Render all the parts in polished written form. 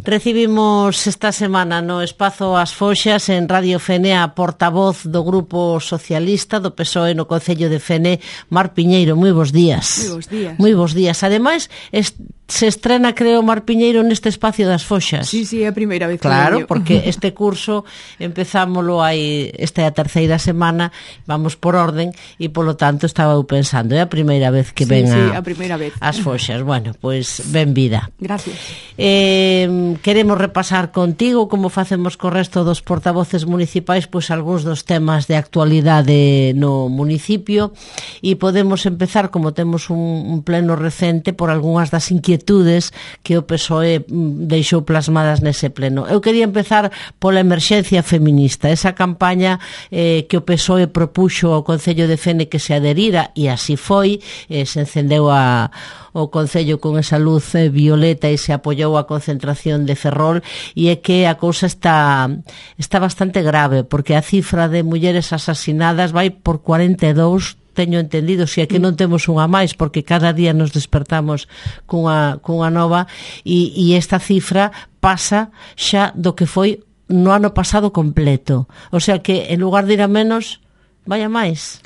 Recibimos esta semana no espazo As Foxas en Radio Fene a portavoz do Grupo Socialista do PSOE no Concello de Fene, Mar Piñeiro. Moi bons días. Moi bons días. Moi bons días. Ademais, se estrena, creo, Mar Piñeiro neste espacio das Foxas. Sí, é a primeira vez que claro, porque este curso empezámoslo aí, esta é a terceira semana, vamos por orden, e polo tanto estaba eu pensando, é a primeira vez que ven a primeira vez. As Foxas. Bueno, pois ben vida. Gracias. Queremos repasar contigo, como facemos co resto dos portavoces municipais, pois algúns dos temas de actualidade no municipio, e podemos empezar, como temos un pleno recente, por algunhas das inquietudes que o PSOE deixou plasmadas nese pleno. Eu quería empezar pola emerxencia feminista, esa campaña que o PSOE propuxo ao Concello de Fene que se adherira, e así foi, se encendeu o Concello con esa luz violeta e se apoiou a concentración de Ferrol, e é que a cousa está bastante grave, porque a cifra de mulleres asasinadas vai por 42, teño entendido, se é que non temos unha máis, porque cada día nos despertamos cunha nova, e esta cifra pasa xa do que foi no ano pasado completo. O sea que, en lugar de ir a menos, vai a máis.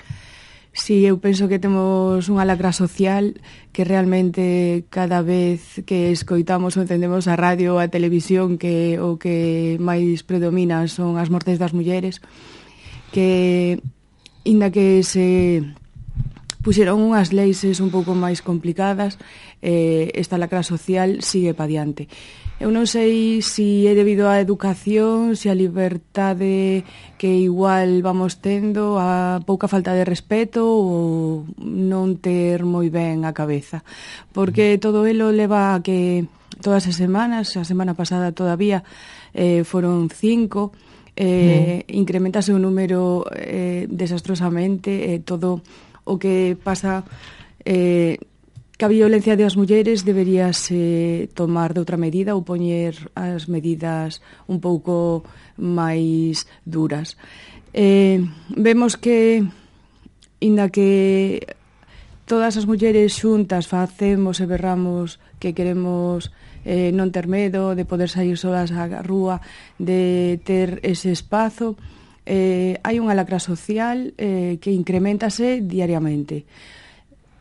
Sí, eu penso que temos unha lacra social que realmente cada vez que escoitamos ou encendemos a radio ou a televisión, que o que máis predomina son as mortes das mulleres, que inda que se puxeron unhas leis un pouco máis complicadas, esta lacra social sigue pa diante. Eu non sei se é debido á educación, se a liberdade que igual vamos tendo, a pouca falta de respeto ou non ter moi ben a cabeza. Porque todo elo leva a que todas as semanas, a semana pasada todavía foron 5, incrementase o número desastrosamente, todo o que pasa... que a violencia das mulleres deberíase tomar de outra medida ou poñer as medidas un pouco máis duras. Vemos que, inda que todas as mulleres xuntas facemos e berramos que queremos non ter medo, de poder sair solas á rúa, de ter ese espazo, hai unha lacra social que incrementase diariamente.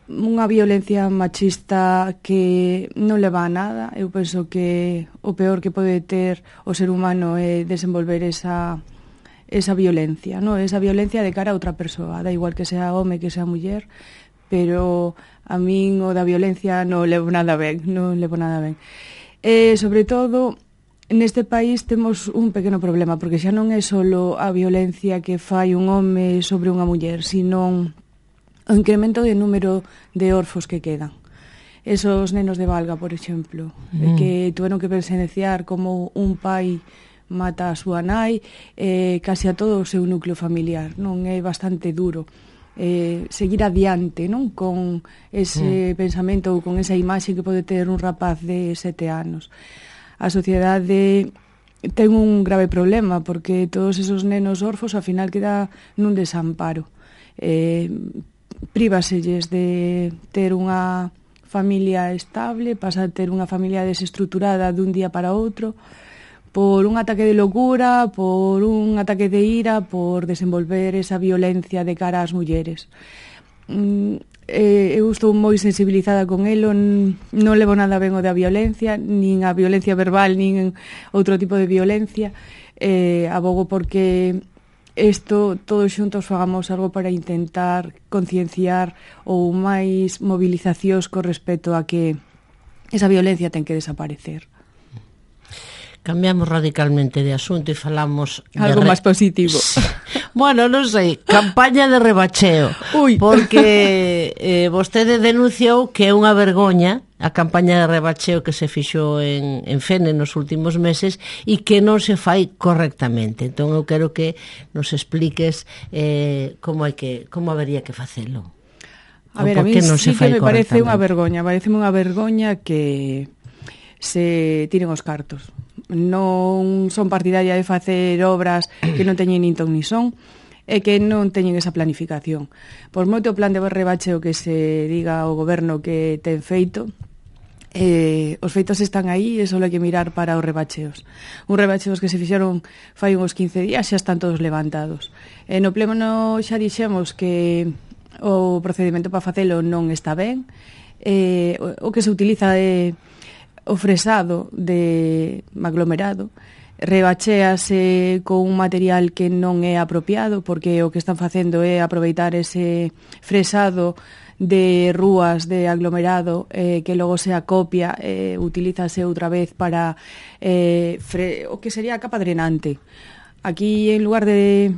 Unha violencia machista que non leva a nada. Eu penso que o peor que pode ter o ser humano é desenvolver esa violencia, no? Esa violencia de cara a outra persoa, da igual que sea home, que sea muller, pero a min o da violencia non levo nada ben, sobre todo, neste país temos un pequeno problema, porque xa non é só a violencia que fai un home sobre unha muller, sino o incremento de número de orfos que quedan. Esos nenos de Valga, por exemplo, que tuveron que presenciar como un pai mata a súa nai, casi a todo o seu núcleo familiar. Non é bastante duro seguir adiante, non, con ese pensamento ou con esa imaxe que pode ter un rapaz de 7 anos. A sociedade ten un grave problema, porque todos esos nenos orfos ao final queda nun desamparo. Prívaselles de ter unha familia estable, pasa a ter unha familia desestruturada dun día para outro, por un ataque de locura, por un ataque de ira, por desenvolver esa violencia de cara ás mulleres. Eu estou moi sensibilizada con elo, non levo nada ben o da violencia, nin a violencia verbal, nin outro tipo de violencia. Abogo porque todos xuntos fagamos algo para intentar concienciar ou máis movilizacións con respecto a que esa violencia ten que desaparecer. Cambiamos radicalmente de asunto e falamos... Algo máis positivo. Bueno, non sei, campaña de rebacheo. Porque vostede denunciou que é unha vergoña a campaña de rebacheo que se fixou en Fene nos últimos meses e que non se fai correctamente. Entón eu quero que nos expliques como habería que facelo. A ver, a mí sí que me parece unha vergoña. Pareceme unha vergoña que se tiren os cartos. Non son partidaria de facer obras que non teñen nin ton ni son e que non teñen esa planificación. Por moito plan de rebacheo que se diga ao goberno que ten feito, Os feitos están aí e só hai que mirar para os rebacheos. Uns rebacheos que se fixeron fai uns 15 días xa están todos levantados. No pleno xa dixemos que o procedimento para facelo non está ben. O que se utiliza é o fresado de aglomerado, rebachéase con un material que non é apropiado, porque o que están facendo é aproveitar ese fresado de rúas de aglomerado que logo se acopia, utilízase outra vez para o que sería a capa drenante. Aquí, en lugar de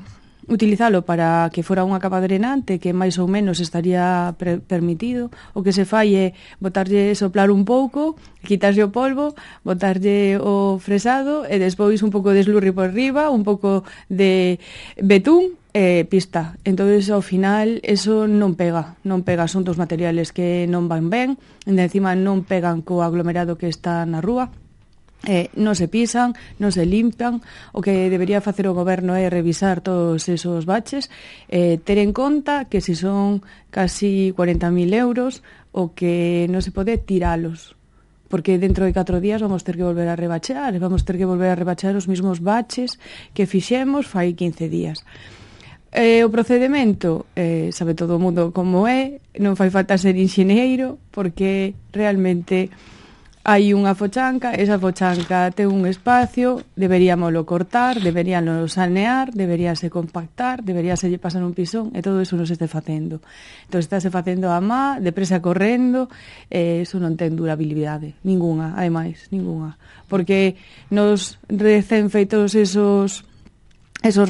utilizalo para que fora unha capa drenante que máis ou menos estaría permitido, o que se fai é botarlle, soplar un pouco, quitarlle o polvo, botarlle o fresado e despois un pouco de slurry por riba, un pouco de betún e pista. Entonces, ao final, eso non pega, son dos materiales que non van ben, e encima non pegan co aglomerado que está na rúa. Non se pisan, non se limpian. O que debería facer o goberno é revisar todos esos baches, ter en conta que se son casi 40.000 euros, o que non se pode tiralos, porque dentro de 4 días vamos ter que volver a rebachear os mismos baches que fixemos fai 15 días. O procedimento, sabe todo o mundo como é, non fai falta ser enxeñeiro, porque realmente hai unha fochanca, esa fochanca ten un espacio, deberíamoslo cortar, deberíamoslo sanear, deberíase compactar, deberíase pasar un pisón, e todo iso non se este facendo. Entón, estáse facendo a má, depresa correndo, eso non ten durabilidade, ninguna, ademais, ninguna. Porque nos recén feitos esos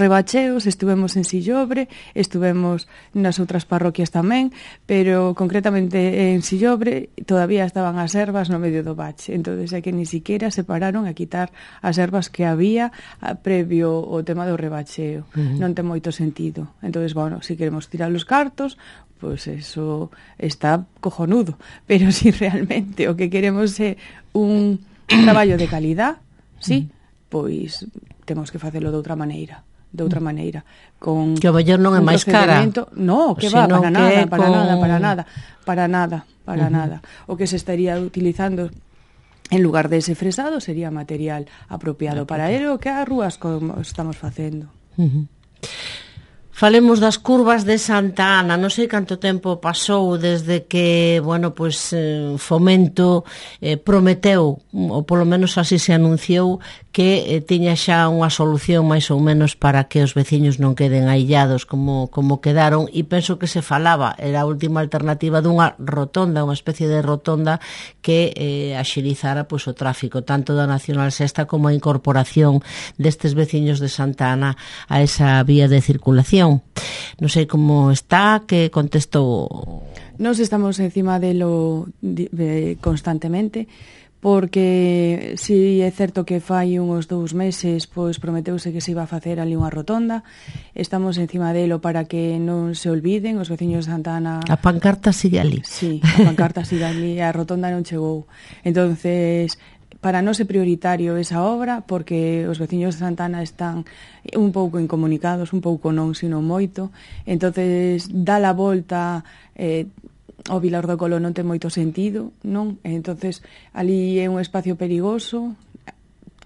rebacheos, estuvemos en Sillobre, estuvemos nas outras parroquias tamén, pero concretamente en Sillobre todavía estaban as ervas no medio do bache, entonces é que ni siquiera se pararon a quitar as ervas que había previo o tema do rebacheo. Non ten moito sentido. Entonces, bueno, se queremos tirar os cartos, pois eso está cojonudo, pero si realmente o que queremos é un traballo de calidad, sí, pois temos que facelo de outra maneira, con que o mellor non é máis cara. No, que va, para nada. O que se estaría utilizando en lugar dese fresado sería material apropiado para ele, o que as rúas como estamos facendo. Falemos das curvas de Santa Ana. Non sei canto tempo pasou desde que, bueno, pois Fomento prometeu, ou polo menos así se anunciou, que tiña xa unha solución máis ou menos para que os veciños non queden aillados como quedaron, e penso que se falaba, era a última alternativa dunha rotonda, unha especie de rotonda que axilizara pois o tráfico, tanto da Nacional Sexta como a incorporación destes veciños de Santa Ana a esa vía de circulación. Non sei como está, que contestou. Nos estamos encima delo constantemente, porque si é certo que fai uns 2 meses pois prometeuse que se iba a facer ali unha rotonda. Estamos encima delo para que non se olviden os veciños de Santa Ana. A pancarta sigue ali. Sí, a pancarta sigue ali, a rotonda non chegou. Entonces, para non ser prioritario esa obra, porque os veciños de Santa Ana están un pouco incomunicados, un pouco non, sino moito. Entonces, dá a volta ao Vilar do Colo non ten moito sentido, non? Entonces, ali é un espacio perigoso,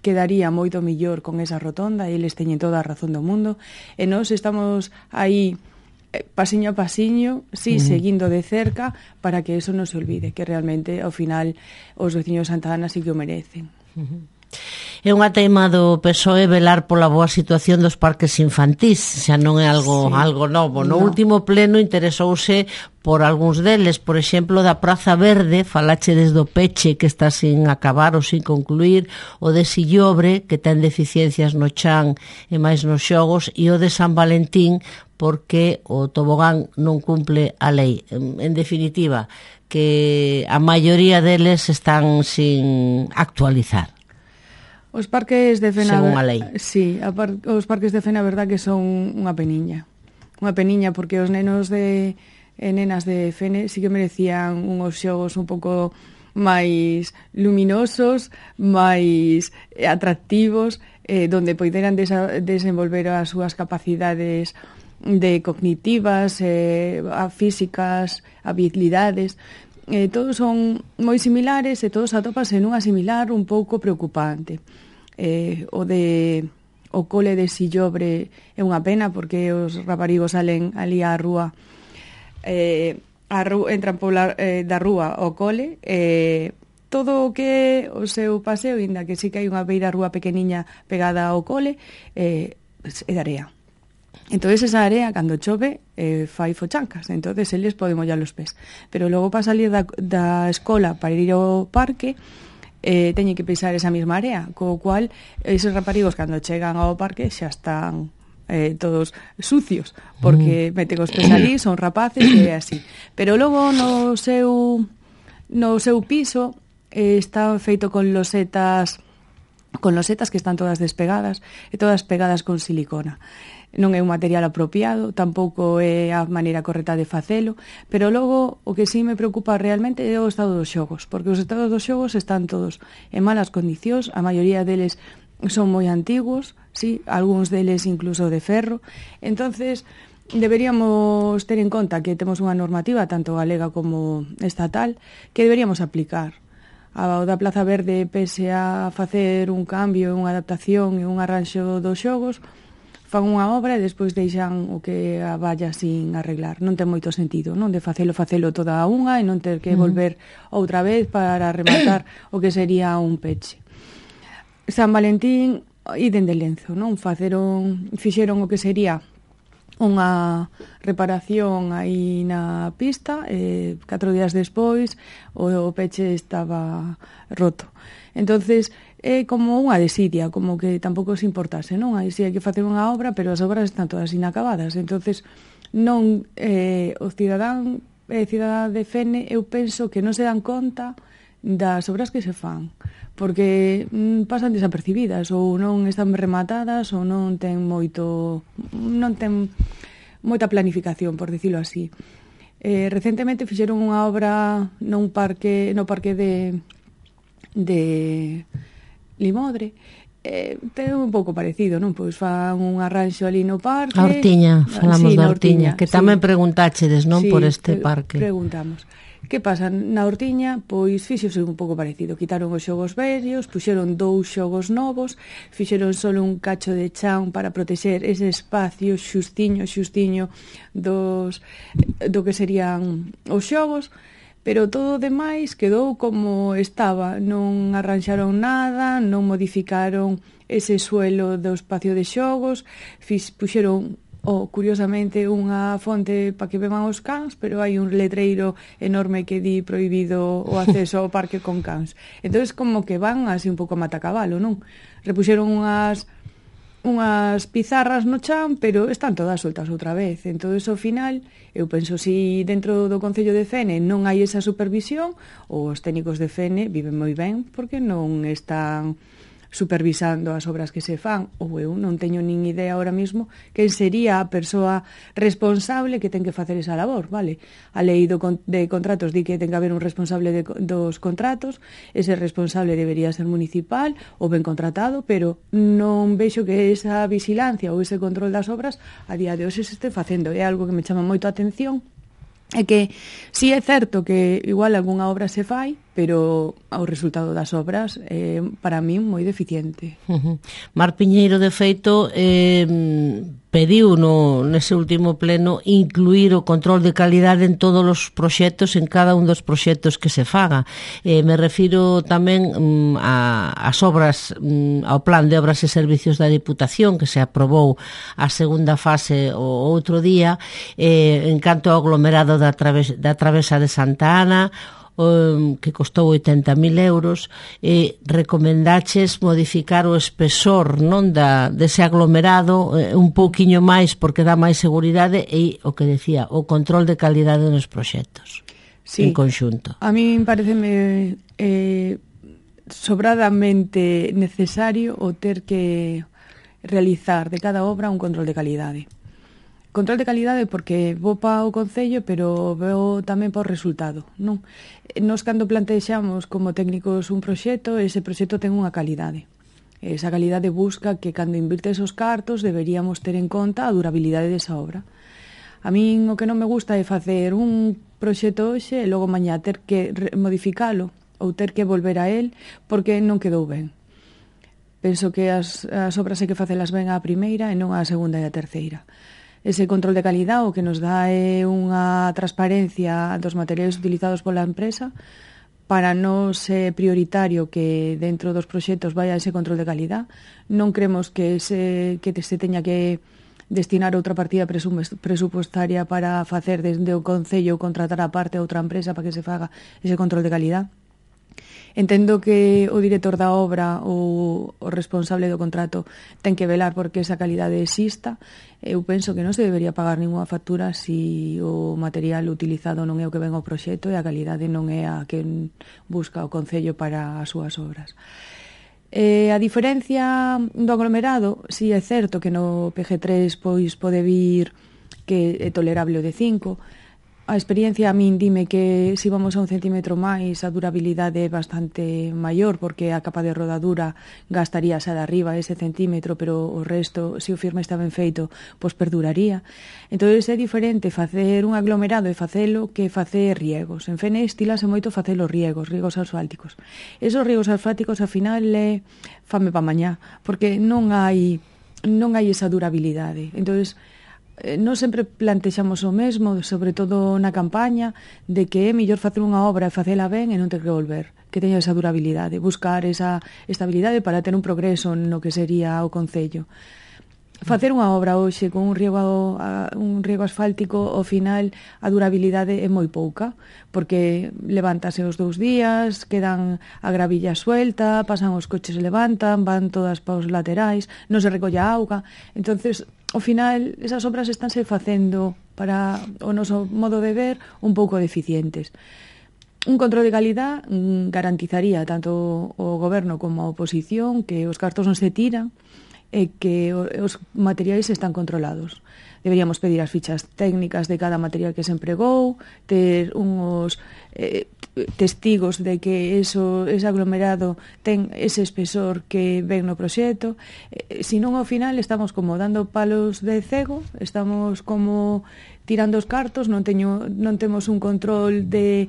quedaría moito mellor con esa rotonda, e eles teñen toda a razón do mundo, e nós estamos aí pasiño a pasiño, sí, seguindo de cerca para que eso non se olvide, que realmente ao final os veciños de Santa Ana sí que o merecen. É unha teima do PSOE velar pola boa situación dos parques infantís, xa non é algo novo. No último pleno interesouse por algúns deles, por exemplo, da Praza Verde, falache desde o peche que está sin acabar ou sin concluir, o de Sillobre, que ten deficiencias no chan e máis nos xogos, e o de San Valentín, porque o tobogán non cumple a lei. En definitiva, que a maioría deles están sin actualizar. Os parques de Fena, según a lei. Sí, os parques de Fena, a verdad que son unha peniña. Unha peniña porque os nenos e nenas de Fene sí que merecían uns xogos un pouco máis luminosos, máis atractivos, donde poideran desenvolver as súas capacidades de cognitivas, físicas, habilidades. todos son moi similares e todos atópanse nunha similar un pouco preocupante. O cole de Sillobre é unha pena porque os raparigos salen ali á rúa, entran da rúa ao cole, todo o que o seu paseo, inda que sí que hai unha beira rúa pequeniña pegada ao cole, é de area. Entón, esa area, cando chove, fai fochancas. Entón, eles poden mollar os pés. Pero logo, para salir da escola para ir ao parque, teñen que pisar esa mesma area. Co cual, esos raparigos, cando chegan ao parque, xa están todos sucios, porque meten os pés ali, son rapaces, e é así. Pero logo, no seu piso, está feito con losetas que están todas despegadas e todas pegadas con silicona. Non é un material apropiado, tampouco é a maneira correcta de facelo, pero logo o que sí me preocupa realmente é o estado dos xogos, porque os estados dos xogos están todos en malas condicións, a maioría deles son moi antigos, sí, algúns deles incluso de ferro. Entonces, deberíamos ter en conta que temos unha normativa tanto galega como estatal que deberíamos aplicar. A da Plaza Verde, pese a facer un cambio, unha adaptación e un arranxo dos xogos, fan unha obra e despois deixan o que a valla sin arreglar. Non ten moito sentido, non? De facelo toda a unha e non ter que volver outra vez para rematar o que sería un peche. San Valentín, idem de Lenzo, non? Fixeron o que sería unha reparación aí na pista, 4 días despois o peche estaba roto. Entonces é como unha desidia, como que tampouco se importase, non? Aí si hai que facer unha obra, pero as obras están todas inacabadas. Entonces non o cidadán e cidadá de Fene, eu penso que non se dan conta das obras que se fan, porque pasan desapercibidas ou non están rematadas ou non ten moita planificación, por dicilo así. Recentemente fixeron unha obra no parque de Limodre, ten un pouco parecido, non? Pois fan un arranxo ali no parque. A Ortiña, falamos da Ortiña, que tamén preguntáchedes, non, por este parque. Preguntamos. Que pasa? Na Ortiña, pois fixose un pouco parecido. Quitaron os xogos vellos, puxeron 2 xogos novos, fixeron só un cacho de chan para protexer ese espacio xustiño do que serían os xogos, pero todo o demais quedou como estaba. Non arranxaron nada, non modificaron ese suelo do espacio de xogos, puxeron curiosamente unha fonte para que beban os cans, pero hai un letreiro enorme que di prohibido o acceso ao parque con cans. Entón, como que van así un pouco a matacabalo, non? Repuxeron unhas pizarras no chan, pero están todas soltas outra vez. Entón, ao final, eu penso, si dentro do Concello de Fene non hai esa supervisión, os técnicos de Fene viven moi ben porque non están supervisando as obras que se fan, ou eu non teño nin idea ahora mismo quen sería a persoa responsable que ten que facer esa labor, vale? A lei de contratos di que ten que haber un responsable dos contratos, ese responsable debería ser municipal ou ben contratado, pero non vexo que esa vigilancia ou ese control das obras a día de hoxe se este facendo. É algo que me chama moito a atención. É que si é certo que igual algunha obra se fai, pero o resultado das obras é para min moi deficiente. Mar Piñeiro, de feito, pediu nese último pleno incluir o control de calidade en todos os proxectos, en cada un dos proxectos que se faga. Me refiro tamén ás obras, ao plan de obras e servicios da Diputación, que se aprobou a segunda fase o outro día, en canto ao aglomerado da Travesa de Santa Ana, que costou 80.000 euros, recomendaches modificar o espesor, non, dese aglomerado un pouquiño máis porque dá máis seguridade, e o que decía, o control de calidade nos proxectos, sí, en conxunto. A mí pareceme sobradamente necesario o ter que realizar de cada obra un control de calidade. Control de calidade porque vou para o Concello, pero veo tamén para o resultado, non? Nos, cando plantexamos como técnicos un proxecto, ese proxecto ten unha calidade. Esa calidade busca que, cando invirtes os cartos, deberíamos ter en conta a durabilidade desa obra. A min o que non me gusta é facer un proxecto hoxe e logo mañá ter que modificalo ou ter que volver a él porque non quedou ben. Penso que as obras hai que facelas ben á primeira e non á segunda e á terceira. Ese control de calidad o que nos dá é unha transparencia dos materiais utilizados pola empresa para nos é prioritario que dentro dos proxectos vaya ese control de calidad. Non cremos que se teña que destinar outra partida presupuestaria para facer desde o Concello ou contratar a parte a outra empresa para que se faga ese control de calidad. Entendo que o director da obra ou o responsable do contrato ten que velar porque esa calidade exista. Eu penso que non se debería pagar ninguna factura se o material utilizado non é o que ven ao proxecto e a calidade non é a que busca o Concello para as súas obras. A diferencia do aglomerado, si é certo que no PG3 pois pode vir que é tolerable o de 5. A experiencia a min dime que se vamos a 1 centímetro máis a durabilidade é bastante maior porque a capa de rodadura gastaría xa de arriba ese centímetro, pero o resto, se o firme está ben feito, pois perduraría. Entón é diferente facer un aglomerado e facelo que facer riegos. En Fene estilase moito facelo riegos asfálticos. Esos riegos asfálticos ao final é fame pa mañá, porque non hai esa durabilidade. Entón non sempre plantexamos o mesmo, sobre todo na campaña, de que é mellor facer unha obra e facela ben e non ter que volver, que teña esa durabilidade, buscar esa estabilidade para ter un progreso no que sería o Concello. Facer unha obra hoxe con un riego asfáltico, ao final a durabilidade é moi pouca, porque levántase os 2 días, quedan a gravilla suelta, pasan os coches e levantan, van todas paos laterais, non se recolla auga. Entonces, ao final, esas obras estánse facendo para o noso modo de ver un pouco deficientes. Un control de calidad garantizaría tanto o goberno como a oposición que os cartos non se tiran e que os materiais están controlados. Deberíamos pedir as fichas técnicas de cada material que se empregou, ter uns testigos de que ese aglomerado ten ese espesor que ven no proxecto. Se non, ao final, estamos como dando palos de cego, estamos como tirando os cartos, non temos un control de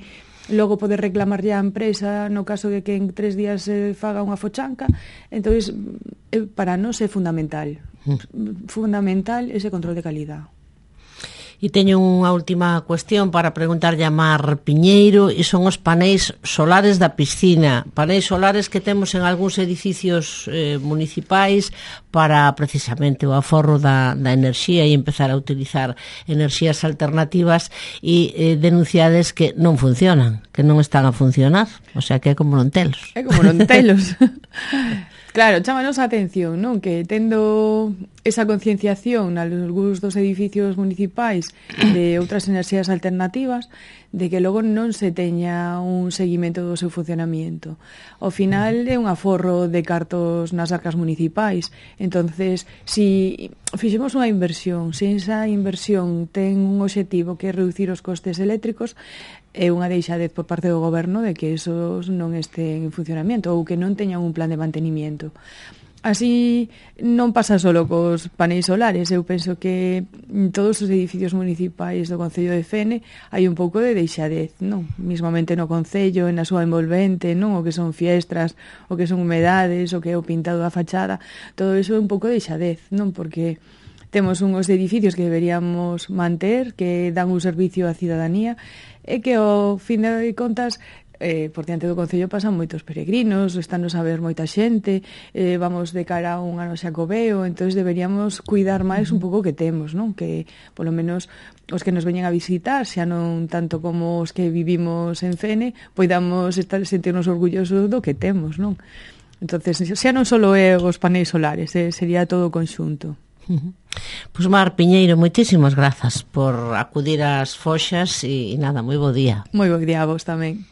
logo poder reclamarlle á empresa no caso de que en 3 días se faga unha fochanca. Entón, para nós é fundamental ese control de calidad. E teño unha última cuestión para preguntarlle a Mar Piñeiro, e son os paneis solares da piscina, paneis solares que temos en algúns edificios municipais para precisamente o aforro da enerxía e empezar a utilizar enerxías alternativas, e denunciades que non funcionan, que non están a funcionar, o sea que é como non telos. É como non telos. Claro, chámanos a atención, non? Que tendo esa concienciación nalgúns dos edificios municipais de outras enerxías alternativas, de que logo non se teña un seguimento do seu funcionamiento. Ao final é un aforro de cartos nas arcas municipais. Entonces, si fixemos unha inversión, se esa inversión ten un obxectivo que é reducir os costes eléctricos, é unha deixadez por parte do goberno de que esos non estén en funcionamento ou que non teñan un plan de mantenimiento. Así non pasa solo cos paneis solares. Eu penso que en todos os edificios municipais do Concello de Fene hai un pouco de deixadez, non? Mismamente no Concello, na súa envolvente, non? O que son fiestras, o que son humedades, o que é o pintado da fachada, todo iso é un pouco de deixadez, non? Porque temos uns edificios que deberíamos manter, que dan un servicio á cidadanía, e que ao fin de contas por diante do Concello pasan moitos peregrinos, están a ver moita xente, vamos de cara a un ano xacobeo, entón deberíamos cuidar máis un pouco que temos, non? Que polo menos os que nos veñen a visitar, xa non tanto como os que vivimos en Fene, poidamos sentirnos orgullosos do que temos, non? Entonces, xa non só é os paneis solares, sería todo o conxunto. Pois Mar Piñeiro, moitísimas grazas por acudir ás Foxas e nada, moi bo día. Moi bo día a vos tamén.